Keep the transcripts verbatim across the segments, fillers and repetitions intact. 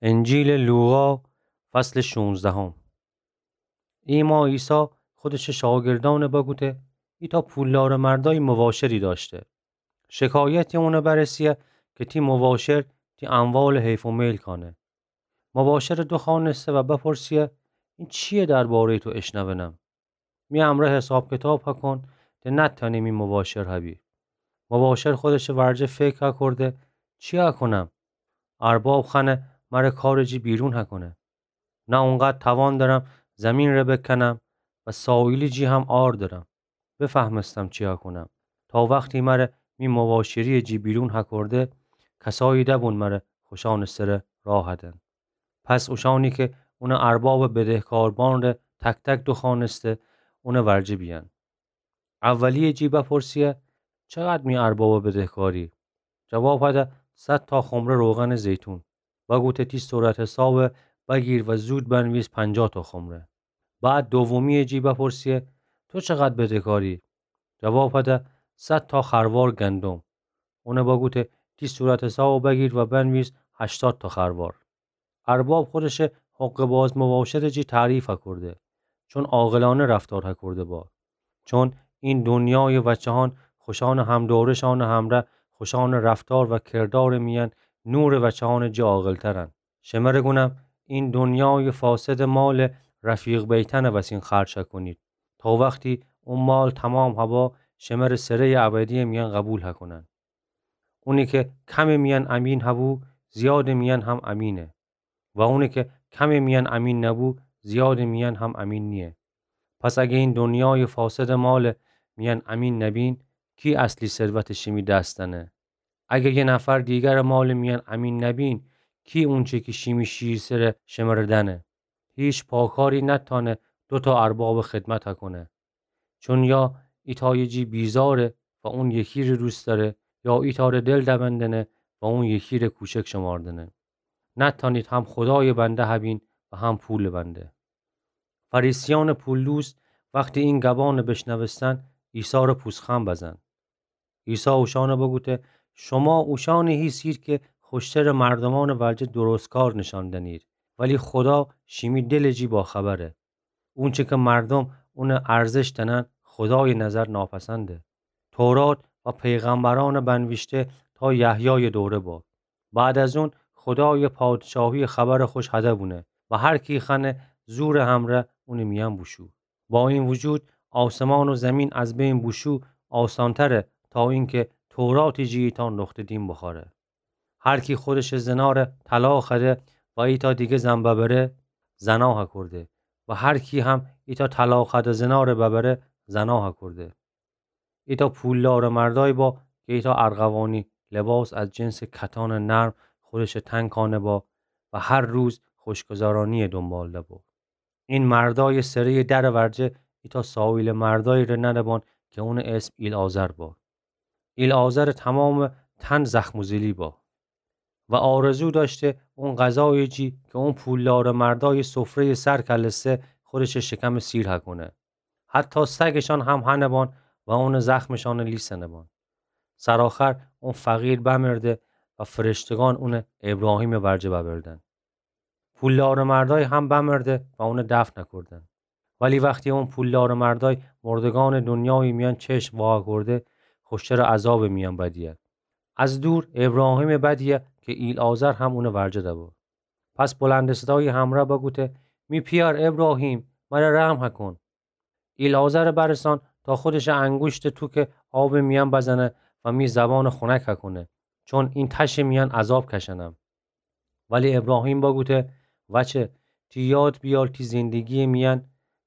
انجیلٚ لوقا، فصلٚ شونزدهم. ایما عیسی خودشٚ شاگردأن بگوته: ایتأ پولدارٚ مردأی مواشری دأشته. شکایتی اون برسه که تی مواشر تی اموالٚ حیف و میل کأنه. مواشرٚ دوخوأنسته و بپرسه: این چییه درباره‌یٚ تو اشنوینم؟ می امرأ حساب کتاب هکن، ده نتأنی می مواشر هبی. مواشر خودشٚ ورجه فکر هکرده: چی هکونم؟ ارباب خوأنه مره کارٚ جی بیرون هکونه. نه اونقدر توان دأرم زیمینٚ ره بکنم و سایلی جی هم عار دأرم. بفهمستم چی هکونم. تا وختی مره می مواشریٚ جی بیرون هکرده، کسایی دبون مره خوشأنٚ سره راه هدن. پس اوشأنی که اونٚ اربابٚ بدهکاربأن ره تک‌تک دوخوأنسته، اونٚ ورجه بیأن. اولیه جی بپرسه: چقدر می اربابٚ بدهکاری؟ جواب هده: صد تا خمره روغنٚ زیتون. بگوته: تی صورت‌حساب بگیر و زود بنویس پنجاه تا خمره. بعد دومیه جی بپرسه: تو چقدر بدهکاری؟ جواب هده: صد تا خروار گندم. اون بگوته: تی صورت‌حساب بگیر و بنویس هشتاد تا خروار. ارباب خودشٚ حقه‌باز مواشرٚ جی تعریف هکرده، چون عاقلأنه رفتار هکرده با. چون این دنیایٚ وأچه‌هان خوشأنٚ هم‌دورشأنٚ همرأ خوشأنٚ رفتار و کردارٚ میأن نورٚ وأچه‌هانٚ جی عاقل‌ترن. شمره گونم، این دنیایٚ فاسدٚ مالٚ رفیق بیتأنٚ وسین خرج هکونید، تا وختی او مال تومام هبا شمره سره‌یٚ ابدیٚ میأن قبول هکونن. اونی که کمٚ میأن امین هبو، زیادٚ میأن هم امینه. و اونی که کمٚ میأن امین نبو، زیادٚ میأن هم امین نییه. پس اگه این دنیایٚ فاسدٚ مالٚ میأن امین نبین، کی اصلی ثروتٚ شیمی دس دأنه؟ اگه یه نفر دیگرٚ مالٚ میأن امین نبین، کی اونچه کی شیمی شیر سره شمره دأنه؟ هیچ پاکاری نتأنه دو تا اربابٚ خدمت هکونه. چون یا ایتأیٚ جی بیزاره و اون یکی ره دوست دأره، یا ایتأ ره دل دبندنه و اون یکی ره کوچک شماردنه. نتأنید هم خودایٚ بنده هبین و هم پولٚ بنده. فریسیأنٚ پولدوز وختی این گبأن بشنوستن، عیسی ره پوزخند بزن. عیسی اوشأن بگوته: شما اوشأنی هیسید که خوشترٚ مردومأنٚ ورجه درستکار نشأن دنید، ولی خودا شیمی دلٚ جی باخبره. اونچه که مردوم اون ارزش دأنن، خودایٚ نظر ناپسنده. تورات و پیغمبرأن بنویشته تا یحیایٚ دوره با. بعد از اون، خودایٚ پادشاهی خبرٚ خوش هده بونه و هر کی خوأنه زورٚ همرأ اونٚ میأن بوشو. با این وجود، آسمان و زیمین از بین بوشو آسانتره تا اینکه توراتٚ جی ایتأ نقطه دیم بخوأره. هر کی خودشٚ زناره طلاق هده و ایتأ دیگه زن ببره، زنا هکرده و هر کی هم ایتأ طلاق هده زناره ببره، زنا هکرده. ایتأ پولدارٚ مردأی با که ایتأ ارغوانی لباس از جنسٚ کتانٚ نرم خودشٚ تن کأنه با و هر روز خوشگذرانیٚ دونبال دبو. این مردأیٚ سره‌یٚ درٚ ورجه ایتأ سایلٚ مردأیی ره ننبان که اونٚ اسم ایلعازر با. ایلعازرٚ تومامٚ تن زخم و زیلی با و آرزو دأشته اون غذایٚ جی که اون پولدارٚ مردأیٚ سفره‌یٚ سر کلسته خودشٚ شکمٚ سیر هکونه. حتی سگشأن هم هنبان و اونٚ زخمشأن لیسنبان. سرآخر اون فقیر بمرده و فرشتگان اون ابراهیمٚ ورجه ببردن. پولدارٚ مردأی هم بمرده و اون دفن هکردن. ولی وختی اون پولدارٚ مردأی مردگانٚ دونیایٚ میأن چشم واکرده، خوشترٚ عذابٚ میأن بدیه. از دور ابراهیمٚ بدیه که ایلعازر هم اونٚ ورجه دبو. پس بلندٚ صدایٚ همرأ بگوته: می پیأر ابراهیم، مره رحم هکن. ایلعازر برسان تا خودشٚ انگوشتٚ توکٚ آبٚ میأن بزنه و می زبانٚ خونک هکونه، چون این تشٚ میأن عذاب کشنم. ولی ابراهیم بگوته: وچه، تی یاد بیار تی زندگیٚ میأن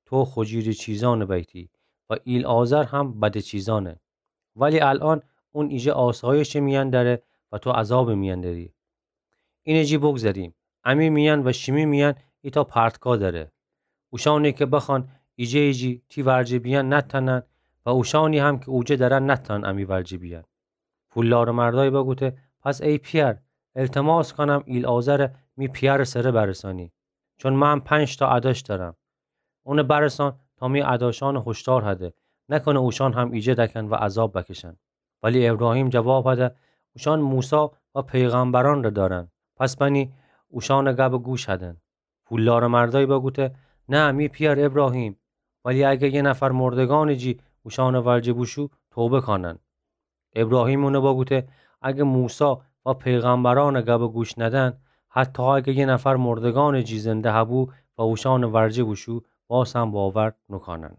تو خوجیرٚ چیزأنٚ بیتی و ایلعازر هم بدٚ چیزأنه. ولی الأن اون ایجه آسایشٚ میأن دره و تو عذابٚ میأن دری. اینٚ جی بگذریم. امی میأن و شیمی میأن ایتأ پرتگاه دره. اوشأنی که بخوأن ایجه‌یٚ جی تی ورجه بیأن نتأنن و اوشأنی هم که اوجه درن نتأنن امی ورجه بیأن. پولدارٚ مردأی بگوته: پس ای پیأر، التماس کونم ایلعازر می پیأرٚ سره برسانی، چون من پنج تا ادأش دأرم. اون برسان تا می ادأشأن هشدار هده، نکنه اوشأن هم ایجه دکن و عذاب بکشن. ولی ابراهیم جواب هده: اوشأن موسی و پیغمبرأن ره دأرن. پس بنی اوشأنٚ گبٚ گوش هدن. پولدارٚ مردأیی بوگوته: نه، می پئر ابراهیم، ولی اگر یه نفر مردگأنٚ جی اوشأنٚ ورجه بوشو، توبه کأنن. ابراهیم اونٚ بوگوته: اگر موسی و پیغمبرأنٚ گبٚ گوش ندن، حتی اگر یه نفر مردگأنٚ جی زنده هبو و اوشأنٚ ورجه بوشو، باز هم باور نوکأنن.